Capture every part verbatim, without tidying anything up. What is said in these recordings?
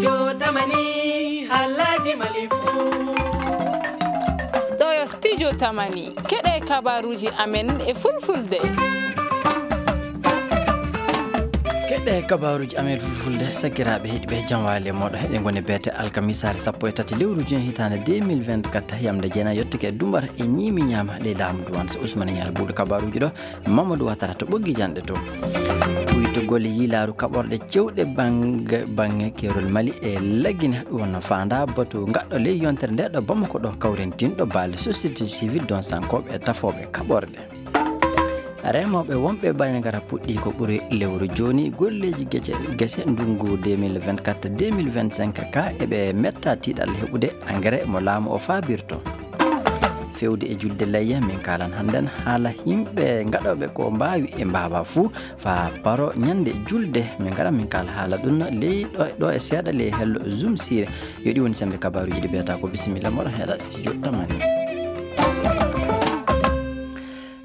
Yo tamani halaji mali fu. Ɗo yo studio tamani. Keɗe kabaruji amen e fulfulde. Keɗe kabaruji amen fulfulde, sakiraaɓe heɗiɓe, jam waali e mooɗo. Heɗe ngoni beete alkamisaare sappo e tati lewru juin hitaande deux mille vingt-quatre, yamde jeenayi yottike e dumbar e ñiimi ñaama ɗe laamu duwan so Ousmane Ñaar buuɗo kabaruji ɗo. Mamadou Ouattara to ɓoggi janɗe to. Ɓuytugol yiilaaru kaɓorɗe cewɗe bannge, bannge keerol Mali e Lagine, ɗum wonno faandaa batu ngaɗɗo ley yontere nde ɗo Bamako ɗo kawrintinɗo baale société civile donsankooɓe e tafooɓe kaɓorɗe. Remooɓe wonɓe Bandiagara puɗɗii ko ɓuri lewru jooni golleeji gece, gese ndunngu deux mille vingt-quatre deux mille vingt-cinq ka eɓe metta tiiɗal heɓude engrais mo laamu o faabirto. Fewde e julde layya, min kaalan hannden haala yimɓe ngaɗooɓe ko mbaawi e mbaawaa fuu faa paro ñande julde. Min ngara min kaala haala ɗum ley ɗo, ɗo e seeɗa ley hello Zoom siire. Yo ɗi woni sembe kabaruuji ɗi mbiyata ko bisimilla moɗon heɗa studio tamani.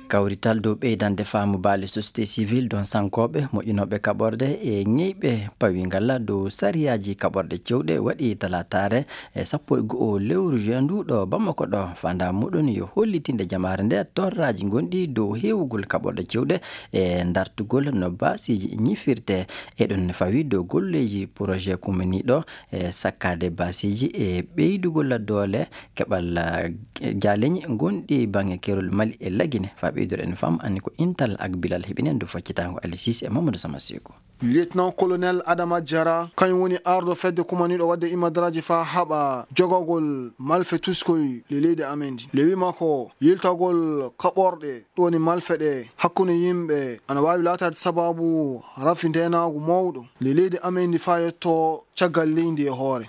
Kawrital dow ɓeydande faamu baale société civile donsankooɓe, moƴƴinooɓe kaɓorɗe e ñeyɓe pawii ngalla dow sariyaaji kaɓorɗe cewɗe waɗi talaataare e sappo e go'o lewru juin ndu ɗo Bamako ɗo. Faandaa muɗum yo hollitinde jamaare nde torraaji gonɗi dow heewugol kaɓorɗe cewɗe e dartugol no baasiiji ñifirte. E ɗum ne fawii dow golleeji projet kumminiiɗo e sakkaade baasiiji e ɓeydugol doole keɓal, eh, jaaleñi gonɗi bannge keerol Mali e Lagine. Faa ɓeydude en fam anni ko Intal ak Bilal heɓinen dow faccitaango Ali Sise e Mamadou Sama Seko. Lieutenant-colonel Adama Diarra, kañum woni arɗo fedde kumaniiɗo waɗde imadaraaji faa haɓa jogagol malfe tuskoy le leydi amen ndi. Le wiyi makko yiltagol kaɓorɗe, ɗum woni malfe ɗe, hakkunde yimɓe ana waawi laataade sabaabu rafi ndeenaagu mawɗo le leydi amen ndi faa yetto caggal leydi e hoore.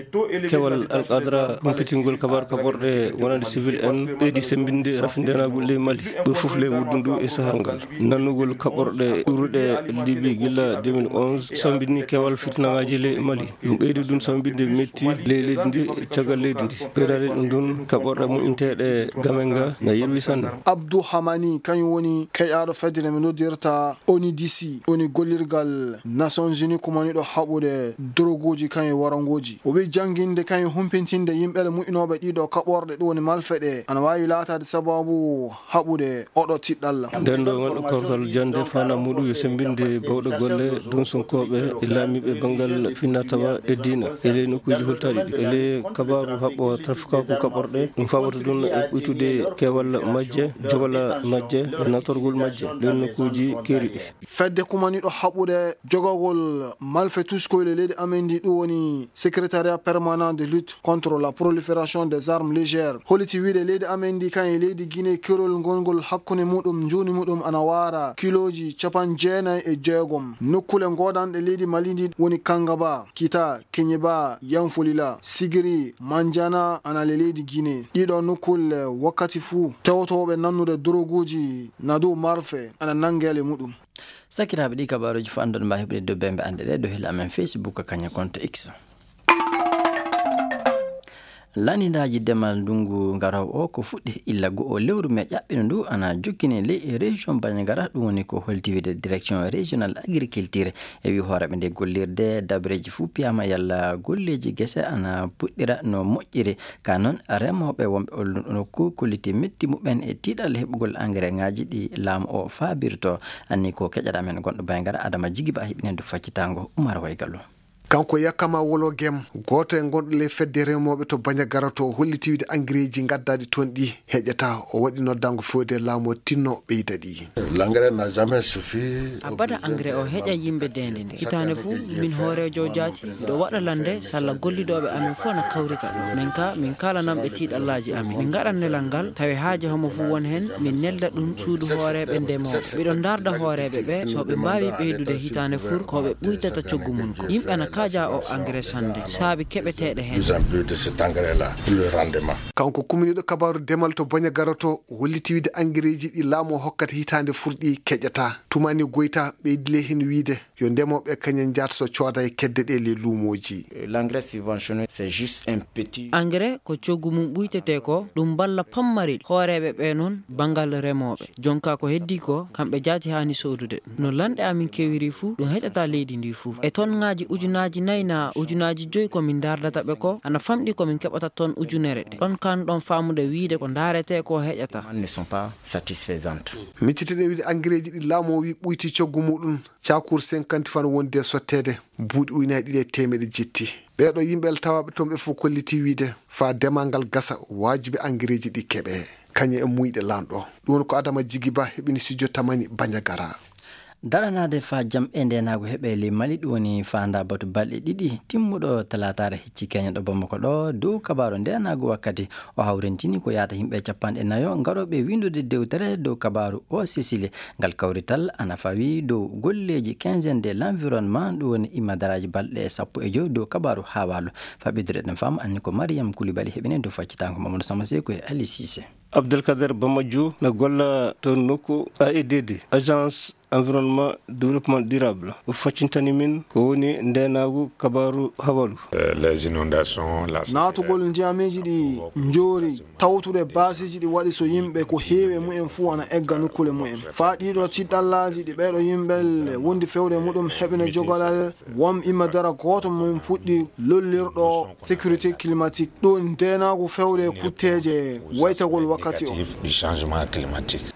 Kewal Al Qadra humpitingol kabar kaɓorɗe wonande civil en ɓeydi semmbinde rafi ndeenagu ley Mali, ɓuri fof ley wuddundu e sahar ngal. Nannugol kaɓorɗe ɓurɗe Libi gila deux mille onze sambini kewal fitnaaji ley Mali. Ɗum ɓeydi ɗum sambinde metti ley leydi ndi, caggal leydi ndi. Ɓeydade ɗum ɗum kaɓorɗe moƴƴinteeɗe game nga na yirwi sanne. Abdou Hamani, kañum woni keƴaaɗo fedde nde ɓe noddirta onidisi, woni gollirgal Nations Unies kumaniiɗo haɓude doroguuji kañum e warangooji. O wiyi jannginde kañum humpintinde yimɓe moƴƴinooɓe ɗiɗo kaɓorɗe, ɗum woni malfe ɗe, ana waawi laataade sabaabu haɓude oɗo tiɗɗalla. Nden ɗo ngal kawtal jannde fana muɗum yo semmbinde bawɗe golle donsonkooɓe e laamiiɓe banngal finna tawa e diina e ley nokkuuji hultaaɗi ɗi. E ley kabaaru haɓɓo trafikaaku kaɓorɗe, ɗum fawata ɗum e ɓuytude keewal majje, jogala majje, e natorgol majje, ɗen nokkuuji keeriɗi. Fedde kumaniiɗo haɓude jogagol malfe tuskoy le leydi amen ndi, ɗum woni Secrétariat Permanent de Lutte contre la Prolifération des Armes Légères, holliti wiide leydi amen ndi kan e leydi Guinée, kerol ngongol hakkunde muɗum, njuuni muɗum ana waara kilooji capanɗe jeenayi e jeegom. Nokkule goodanɗe leydi Mali ndi woni Kangaba, Kita, Keñeba, Yanfolila, Sigiri, Manjana, ana le leydi Guinée. Ɗiɗo nokkule wakkati fuu tewtooɓe nannude doroguuji na dow marfe ana nanngeele muɗum. Sakiraaɓe, ɗi kabaaruuji fof anndon mbaawi heɓude dow bembe annde ɗe dow hila amen Facebook, kaña compte X. Lanndaaji demal ndunngu ngaroowo o ko fuɗɗi illa go'o lewru me ƴaɓɓino ndu ana jokkini ley e région Bandiagara, ɗum woni ko holti wiide direction régionale agriculture. E wi hooreeɓe nde gollirde, dabareeji fuu piyaama yalla golleeji gese ana puɗɗira no moƴƴiri. Ka noon, remooɓe wonɓe oon nokku kolliti metti muɓɓen e tiiɗal heɓugol engrais ŋaaji ɗi laamu o faabirto. Anni ko keƴaɗa men gonɗo Bandiagara, Adama Jigiba, heɓinen du faccitaango Umar Waygalu. Kanko Yakama Wolo Gem, gooto e gonɗo ley fedde remooɓe to Bandiagara to, holliti wiide engrais ji ngaddaaɗi toon ɗi heƴata. O waɗi noddaango fewde laamu o tinno ɓeyda ɗi. L'engrais n'a jamais suffi. Abada engrais o heƴa yimɓe deende nde. Hitaande fof, min hooreejo jaati, miɗo waɗa lande, salla gollidooɓe amen fof na kawrita ɗo. Min ka, min kaalananɓe tiiɗallaaji amen. Min ngaɗan nelal ngal, tawi haaje homo fof won heen, min nelda ɗum suudu hooreeɓe ndemooɓe. Miɗo ndaarda hooreeɓe ɓe, so ɓe mbaawi ɓeydude hitaande fur, ko ɓe ɓuytata coggu mum ko. Yimɓe ana kaaja o engrais sannde, saabi keɓeteeɗe heen. Plus en plus de cet engrais-là, pour le rendement. Kanko kuminiiɗo kabaaru demal to Bandiagara to, holliti wiide engrais ji ɗi laamu o hokkata hitaande fur ɗi keƴata. Tumani Goyta ɓeydi ley heen wiide yo ndemooɓe kañen njaat so cooda e kedde ɗe ley luumooji. L'engrais subventionné, c'est juste un petit. Engrais ko coggu mum ɓuytetee ko, ɗum mballa pammari hooreeɓe ɓe noon banngal remooɓe. Jonka ko heddii ko, kamɓe jaati haani soodude ɗum. No lanɗe amin kewiri fuu, ɗum heƴata leydi ndi fuu. E tonŋaaji ujunaaji Ujunnaaji nayi naa ujunnaaji joyi ko min ndaardata ɓe ko ana famɗi ko min keɓata toon ujunere ɗe. Ɗon kaan ɗon faamude wiyde ko ndaaretee ko heƴata. Miccitene wiide angereeji ɗi laamu o wi ɓuyti coggu muɗum, caakuur cinquante fano wondi e sotteede, buuɗi ujunnaaji ɗiɗi e teemeɗe jetti. Ɓeeɗo yimɓe tawaaɓe toon ɓe fof kollitii wiyde faa demal ngal gasa, waajibi angereeji ɗi keɓe kañe e muyɗe lanɗo. Ɗum woni ko Adama Jigi Ba heɓini studio Tamani Banjagara. Daranaade faa jam e ndeenaagu heɓe ley Mali, ɗum woni faandaa batu balɗe ɗiɗi timmuɗo talaataare hecci keñen ɗo Bamako ɗo. Dow kabaaru ndeenaagu wakkati o hawrintini ko yaata yimɓe capanɗe nayo ngarooɓe winndude dewtere dow kabaaru o Sisili. Ngal kawrital ana fawi dow golleeji quinzaine de l'environnement, ɗum woni immadaraaji balɗe sappo e joy dow kabaaru haawaalu. Faɓidire ɗen fam anni ko Mariyam Kulibali heɓini dow faccitaango Mamadou Sama Seko e Ali Sise. Abdelkader Bamajo na golla to nokku A E D D, Agence Environnement Développement Durable. O faccintani min ko woni ndeenaagu kabaaru hawalu. Naatugol ndiyameeji ɗi njoori, tawtude baasiiji ɗi waɗi so yimɓe ko heewi e mumen fuu ana egga nokkuule mumen. Faa ɗiiɗo tiɗɗallaaji ɗi ɓeeɗo yimɓe wondi fewde e muɗum heɓina jogalal, won imma dara gooto mo min puɗɗi lollirɗo sécurité climatique. Ɗum ndeenaagu fewde e kutteeje waytagol wakkati o.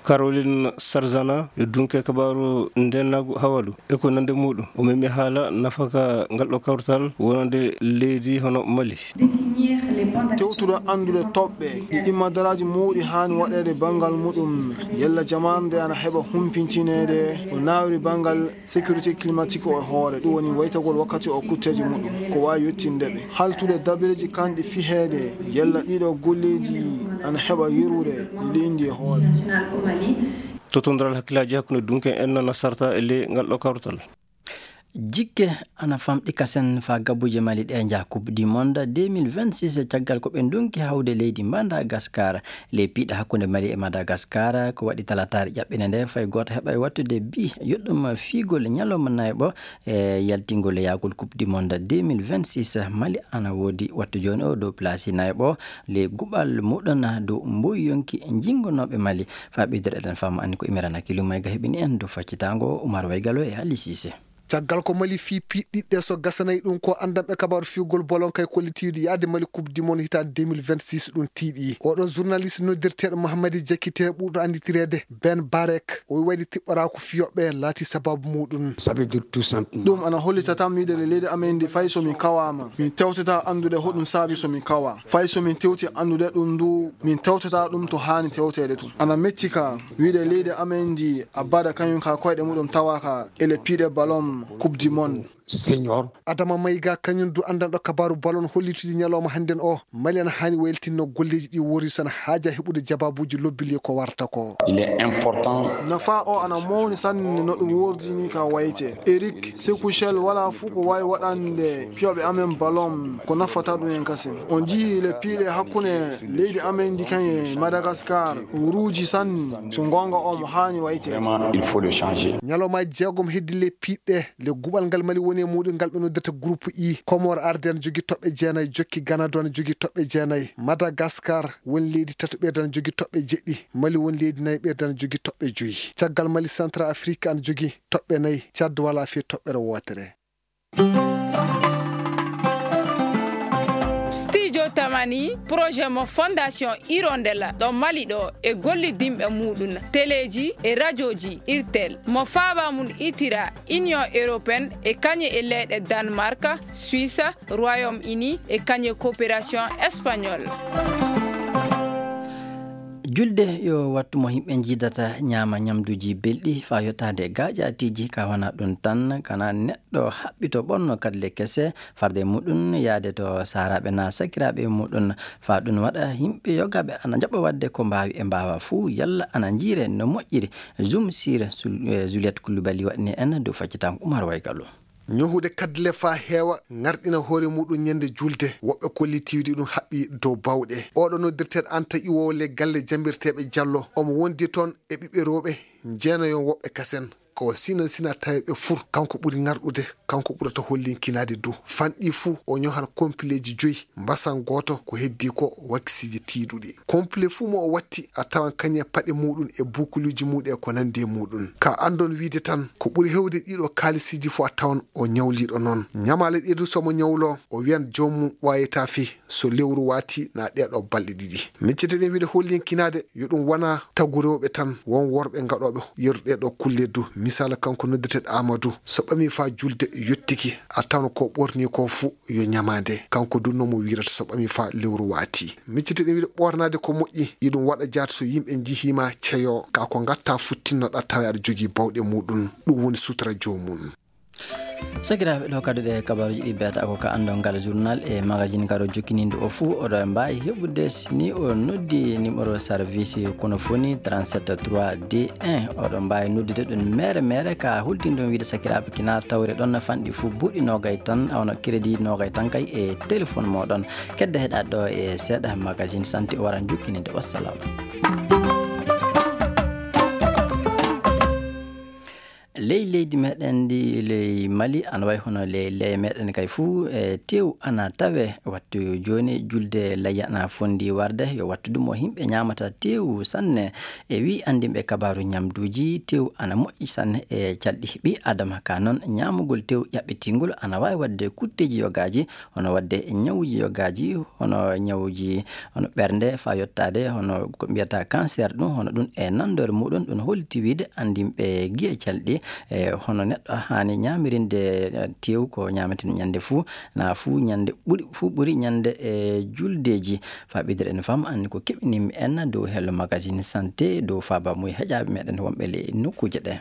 Caroline Sarzana yo dunke kabaaru ndeenaagu hawalu e ko nande muɗum. O memi haala nafaka ngal ɗo kawtal wonande leydi hono Mali. Tewtude anndude toɓɓe ɗi immadaraaji mawɗi haani waɗeede banngal muɗum, yalla jamaanu nde ana heɓa humpintineede ko naawiri banngal sécurité climatique o e hoore, ɗum woni waytagol wakkati o kutteeje muɗum, ko waawi yettinde ɓe. Haltude dabireeji kanɗi fiheede, yalla ɗiɗo golleeji ana heɓa yerude leydi e hoore. Totondiral hakkillaaji hakkunde dunke en na sarta e ley ngal ɗo kawtal. Jikke ana famɗi kasen faa gabbuuje Mali ɗe njaha Coupe du Monde deux mille vingt-six, caggal ko ɓe ndonki hawde leydi Madagascar. Ley piiɗe hakkunde Mali e Madagascar ko waɗi talataare ƴaɓɓinde nde fay gooto heɓa e wattude bi yoɗɗum fiigol ñalawma nayɓo e yaltingol e yahgol Coupe du Monde deux mille vingt-six. Mali ana woodi wattu jooni o dow place nayɓo ley guɓal muɗum dow mboy yonki jinngonooɓe Mali. Faa ɓeydude eɗen fama anni ko Imirana Kilimayga heɓini en dow faccitaango Umar Waygalo e Ali Sise. Caggal ko Mali fii piiɗɗiɗɗe so gasanay ɗum ko anndanɓe kabaaru fiwgol bolon kay kollitiiɗi yahde Mali Coupe du Monde hitaande deux mille vingt-six ɗum tiiɗi. Oɗo journaliste noddirteeɗo Mahamadi Jakite ɓurɗo annditireede Ben Barek o wayde tiɓɓoraa ko fiyoɓe laati sababu muɗum. Ɗum ana hollita tan miɗo e leydi amen ndi fay so min kawaama min tewtata anndude hoɗum saabi so min kawa fay so min tewti anndude ɗum ndu min tewtata ɗum to haani tewteede tun. Ana metti ka wiyde leydi amen ndi a bada kañum ka koyɗe muɗum tawa ka ele piiɗe ballon Coupe du Monde. Senior. Adama Mayga kañum du anndanɗo kabaaru ballon hollitudi ñalawma hannden o Mali ana haani wayltinno golleeji ɗi wori so ana haaja heɓude jabaabuuji lobbili ko warta ko. Il est important. Nafa o ana mawni sanne no ɗum wordini ka wayte Eric Sekuchel wala fuu ko waawi waɗande piyoɓe amen ballon ko nafata ɗum en kasen on njii le piiɗe hakkunde leydi amen ndi kañe Madagascar ruuji sanne so goonga o mo haani wayte. Vraiment il faut le changer. Ñalawmaaji jeegom heddi le piiɗe le guɓal ngal Mali woni e muɗum ngal ɓe noddirta groupe I. Comore arde ana jogi toɓɓe jeenay jokki Ganado ana jogi toɓɓe jeenay Madagascar woni leydi tataɓerde ana jogi toɓɓe jeɗɗi. Mali woni leydi nayaɓerde ana jogi toɓɓe joyi. Caggal Mali Central Afrique ana jogi toɓɓe nayi. Tchad wala fii toɓɓere wootere. Studio Tamani projet mo Fondation Hirondelle ɗo Mali ɗo e gollidinɓe muɗum teleeji e rajooji Irtel mo faaba mum itira Union Européenne e kañe e leyɗe Danemark, Suisse, Royaume-Uni e kañe coopération espagnole. Julde yo wattu mo yimɓe njiidata ñaama ñamduuji belɗi faa yottaade gaaƴaatiiji ka wona ɗum tan kana neɗɗo haɓɓito ɓonno kadle kese farde muɗum yaade to saaraaɓe na sakiraaɓe muɗum faa ɗum waɗa yimɓe yogaaɓe ana njaɓa waɗde ko mbaawi e mbaawa fuu yalla ana njiire no moƴƴiri. Zoom sire Juliette Koulibaly waɗni en dow faccitango Umar Waygalo. Ñohude kaddule faa heewa ŋarɗina hoore muɗum ñande julde woɓɓe kollitiiwdi ɗum haɓɓi dow bawɗe. Oɗo noddirteeɗo Anta iwoowo le galle jambirteeɓe Jallo omo wondi toon e ɓiɓɓe rewɓe jeenayon woɓɓe kasen. Ko o sinan sina tawi ɓe fur, kanko ɓuri ŋarɗude, kanko ɓurata hollinkinaade dow. Fanɗi fuu, o ñohan kompileeji joyi, mbasan gooto, ko heddii ko wakisiiji tiiɗuɗi. Kompile fuu mo o watti, a tawan kañum e paɗe muuɗum e buukuluuji muuɗum e ko nanndi e muuɗum. Ka anndon wiide tan, ko ɓuri heewde ɗiɗo kaalisiiji fuu a tawan o ñawliiɗo noon. Ñamaale ɗee du so mo ñawloo, o wiyan joomum ɓooyataa fii. So lewru waati na ɗee ɗoo balɗe ɗiɗi. Miccete ɗen wiide hollinkinaade yo ɗum wona tagu rewɓe tan, won worɓe gaɗooɓe yeru ɗee ɗoo kulle du. Misaala kanko noddeteeɗo Aamadu, so ɓamii faa julde yottiki, a tawan ko ɓornii ko fuu yo ñamaande. Kanko du no mo wiirata so ɓamii faa lewru waati. Miccete ɗen wiide ɓoornaade ko moƴƴi, iɗum waɗa jaat so yimɓe njihii ma ceyoo, kaa ko ngatta fuu tinnoɗaa tawa aɗa jogii bawɗe muuɗum. Ɗum woni sutura joomum. Sakiraaɓe, ɗo kadi ɗe kabaaruuji ɗi mbiyata ko ka anndon ngal journal e magazine karo jokkiniiɗo o fuu, oɗo mbaawi heɓude si ni o noddi numéro service kono foni trente-sept trois D un. Oɗo mbaawi noddude ɗum mere mere ka hultinɗon wiide sakiraaɓe kina tawre ɗon fanɗi fuu buuɗi noogay tan, a wona crédit noogay tan kay e téléphone mooɗon. Kedde heɗaade ɗo e seeɗa magazine santé o waran jokkininde. Wassalam. Ley leydi meɗen ndi, ley Mali, ana wayi hono ley, ley meɗen kay fuu, e, teew ana tawe. Wattu jooni julde layya ana fondi warde, yo wattu ɗum o yimɓe ñaamata teew sanne. E wi anndinɓe kabaaru ñamduuji, teew ana moƴƴi sanne e calɗi ɓii Adama. Ka noon, ñaamugol teew ƴaɓɓitingol ana waawi waɗde kutteeji yogaaji, hono waɗde ñawuuji yogaaji, hono ñawuuji, hono ɓernde, faa yottaade hono ko mbiyata cancer, ɗum hono ɗum e nanndore muuɗum, ɗum holliti wiide anndinɓe giye calɗi, e hono neɗɗo haani ñaamirinde, e, teew ko ñaametee ñannde fuu, na fuu ñannde ɓuri, fuu ɓuri ñannde e juldeeji. Faa ɓeydude en fam anndi ko keɓinimi en dow hello magazine santé, dow faaba muy heƴaaɓe meɗen wonɓe ley nokkuuje ɗe.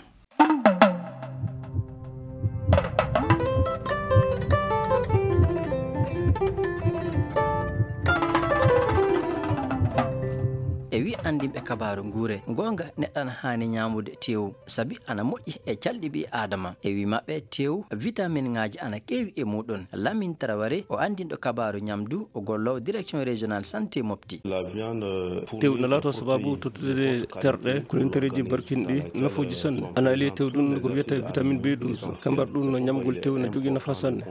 E wi anndinɓe kabaaru nguure, goonga neɗɗo ana haani ñaamude teewu, sabi ana moƴƴi e calɗi ɓii Aadama. E wi maɓɓe, teewu, vitaminŋaaji ana keewi e muuɗum. Lamin Taraware, o anndinɗo kabaaru ñamdu, o golloowo direction régionale santé Mopti. Tew na laato sababu tottude terɗe, kolintereeji barkinɗi, nafooji sanne. Ana alii e tew ɗum ko wiyata vitamine B douze. Kambar ɗum no ñamgol tew na jogii nafa sanne.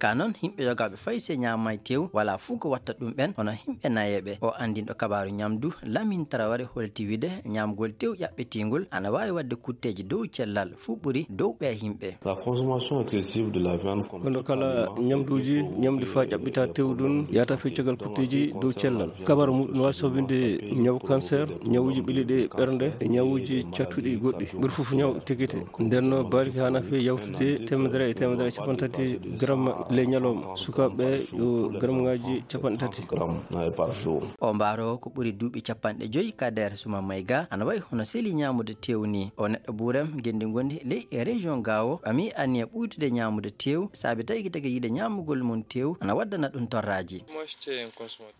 Ka noon, yimɓe yogaaɓe fay se ñaamay tew, wala fuu ko watta ɗum ɓen, hono yimɓe nayeeɓe. O anndinɗo kabaaru ñamdu, Lamin Taraware holti wiide, ñaamgol tew ƴaɓɓitiingol ana waawi waɗde kutteeji dow cellal, fuu ɓuri dow ɓee yimɓe. La consommation excessive de la viande comme kono kala ñamduuji, ñamde faa ƴaɓɓita tew ɗum, yahata fii caggal kutteeji dow cellal. Kabar muɗum waawi sabinde ñaw cancer, ñawuuji ɓiliɗi ɓernde, e ñawuuji cattuɗi goɗɗi. Ɓuri fof ñaw tekite. Nden no baalki haana fii yawtude teemedere e teemedere e capanɗe tati gram ley ñalawma. Sukaaɓe yo gramŋaaji capanɗe tati. Gram, eh, par jour. O mbaaroowo ko ɓuri duuɓi capanɗe joyi, Kader Suma Mayga, ana wayi hono seli ñaamude tew ni. O neɗɗo buurem, genndi ngondi ley e région Gao, ɓami anniya ɓuytude ñaamude tew, saabi tagi tagi yiɗe ñaamugol mum tew, ana waddana ɗum torraaji.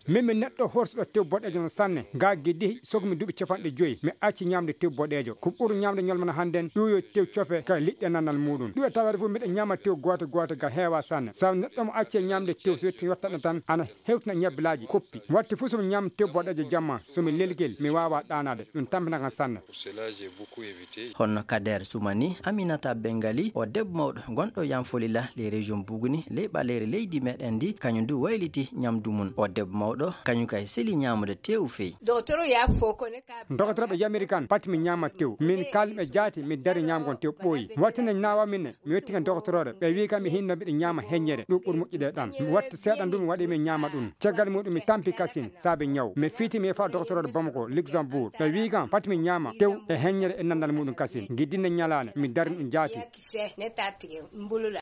Min mi neɗɗo horsuɗo tew boɗeejo no sanne. Gaa giddi sogmi duuɓi capanɗe joyi, mi acci ñaamde tew boɗeejo. Ko ɓur ñaamde ñolmana hannden, ɗuuyo tew cofe ka liɗɗe nannal muɗum. Ɗuuyo tawade fof miɗa ñaama tew gooto gooto ga heewa sanne. Sabu neɗɗo mo acci ñaamde tew so yetti yottanɗo tan, ana hewtina ñebbilaaji koppi. Watti fof so mi ñaam tew boɗeejo jamma, so mi lelgel, mi waawaa ɗaanaade. Ɗum tampinta kam sanne. Pour cela, j'ai beaucoup évité. Honno Kader Sumani, Aminata Bengali, o debbo mawɗo gonɗo Yanfolila, ley région Buguni, ley ɓaleeri leydi meɗen ndi, kañum du wayliti ñamdu mum. O debbo mawɗo, kañum kay seli ñaamude tew feyi. Doktoro ya fo ko ne ka. Doktoro ɓe yamiri kan, pati mi ñaama tew. Min kaalmi ɓe jaati, mi dari ñaamgon tew ɓooyi. Watti ne naawa min ne, mi yetti kan doktoro ɓe wi kam mi hinno mbiɗo ñaama heññere, ɗum ɓuri moƴƴude ɗam. Mi watti seeɗa ndu mi waɗi mi ñaama ɗum. Caggal muɗum mi tampi kasin, saabe ñaw. Mi fiiti mi yefa doktoro Bamako, Luxembourg. Ɓe wi kam, pati mi ñaama tew e heññere e nandal muɗum kasin. Giddinde ñalaande, mi dari ɗum jaati.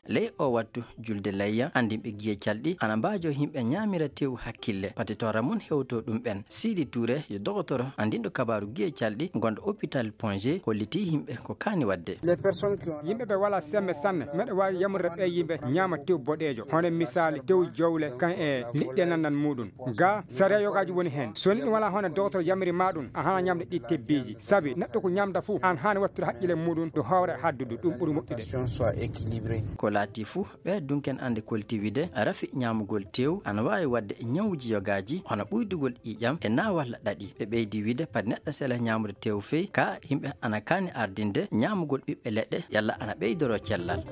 Ley o wattu julde layya, anndinɓe giye calɗi ana mbaajo yimɓe ñaamira tew hakkille. Pati torra mum hewto ɗum ɓen. Sidi Touré, yo dogotoro anndinɗo kabaaru giye calɗi, gonɗo hôpital Pongé, holliti yimɓe ko kaani waɗde. Yimɓe ɓe wala sembe sanne, meɗa waawi yamrude ɓe yimɓe ñaama tew boɗeejo, hono misaali tew jowle, kan e liɗɗe nannan muɗum. Ga sariya yogaaji woni heen. So ni ɗum wala hono Dootoro yamiri ma ɗum, a hana ñamde ɗi tebbiiji. Sabi neɗɗo ko ñamda fuu, an haani wattude haqqille muɗum, ɗo hoore haddudu, ɗum ɓuri moƴƴude. Ko laati fuu, ɓe dunken ande kolti wide rafi ñaamugol tew ana waawi waɗde ñawuuji yogaaji, hono ɓuydugol ƴiiƴam e na walla ɗaɗi. Ɓe ɓeydi wide pati neɗɗo sela ñaamude tew fey, ka yimɓe ana kaani ardinde ñaamugol ɓiɓɓe leɗɗe yalla ana ɓeydoro cellal.